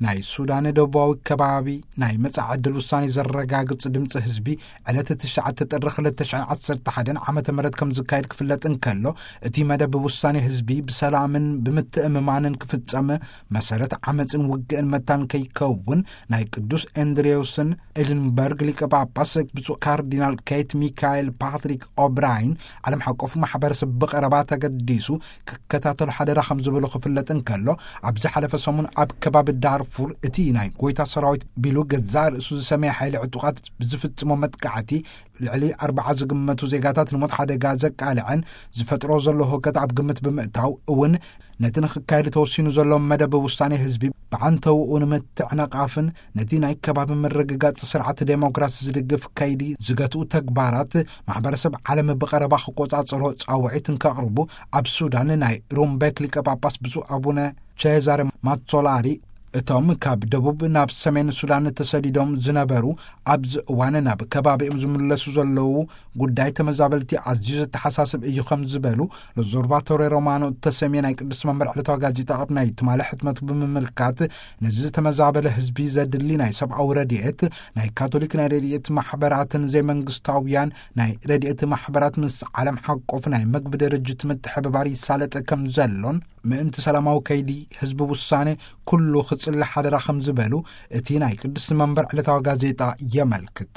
ናይ ሱዳን ደቡባዊ ከባቢ ናይ መጻኢ ዕድል ውሳኔ ዘረጋግጽ ድምጺ ህዝቢ ዕለት ትሽዓተ ጥሪ ክልተ ሽሕን ዓሰርተ ሓደን ዓመተ ምህረት ከም ዝካየድ ክፍለጥ እንከሎ፣ እቲ መደብ ውሳኔ ህዝቢ ብሰላምን ብምትእምማንን ክፍጸም፣ መሰረት ዓመጽን ውግእን መታን ከይከውን ናይ ቅዱስ ኤንድሬውስን ኤድንበርግ ሊቀ ጳጳስ ብፁዕ ካርዲናል ኬት ሚካኤል ፓትሪክ ኦብራይን ዓለም ሓቆፍ ማሕበረሰብ ብቐረባ ተገዲሱ ክከታተሉ ሓደራ ከም ዝበሉ ክፍለጥ እንከሎ፣ ኣብ ዝሓለፈ ሰሙን ኣብ ከባቢ ዳርፉር እቲ ናይ ጎይታ ሰራዊት ቢሉ ገዛእ ርእሱ ዝሰመየ ሓይሊ ዕጡቓት ብዝፍጽሞ መጥቃዕቲ ልዕሊ ኣርባዓ ዝግመቱ ዜጋታት ንሞት ሓደጋ ዘቃልዐን ዝፈጥሮ ዘሎ ህውከት ኣብ ግምት ብምእታው እውን ነቲ ንክካየድ ተወሲኑ ዘሎ መደብ ውሳኔ ህዝቢ ብዓንተውኡ ንምትዕንቓፍን ነቲ ናይ ከባቢ ምርግጋጽ ስርዓት ዴሞክራሲ ዝድግፍ ከይዲ ዝገትኡ ተግባራት ማሕበረሰብ ዓለም ብቐረባ ክቆጻጸሮ ጻውዒት እንከቕርቡ ኣብ ሱዳን ናይ ሩምቤክ ሊቀ ጳጳስ ብፁዕ ኣቡነ ቼዛረ ማትሶላሪ እቶም ካብ ደቡብ ናብ ሰሜን ሱዳን ተሰዲዶም ዝነበሩ ኣብዚ እዋን ናብ ከባቢኦም ዝምለሱ ዘለዉ ጉዳይ ተመዛበልቲ ኣዝዩ ዘተሓሳስብ እዩ ከም ዝበሉ ሎዞርቫቶሬ ሮማኖ እተሰምየ ናይ ቅዱስ መንበር ዕለታዊ ጋዜጣ ኣብ ናይ ትማሊ ሕትመቱ ብምምልካት፣ ነዚ ዝተመዛበለ ህዝቢ ዘድሊ ናይ ሰብኣዊ ረድኤት ናይ ካቶሊክ ናይ ረድኤት ማሕበራትን ዘይመንግስታውያን ናይ ረድኤት ማሕበራት ምስ ዓለም ሓቆፍ ናይ መግቢ ድርጅት ምትሕብባር ይሳለጥ ከም ዘሎን ምእንቲ ሰላማዊ ከይዲ ህዝቢ ውሳኔ ኩሉ ክጽሊ ሓደራ ከም ዝበሉ እቲ ናይ ቅዱስ መንበር ዕለታዊ ጋዜጣ የመልክት።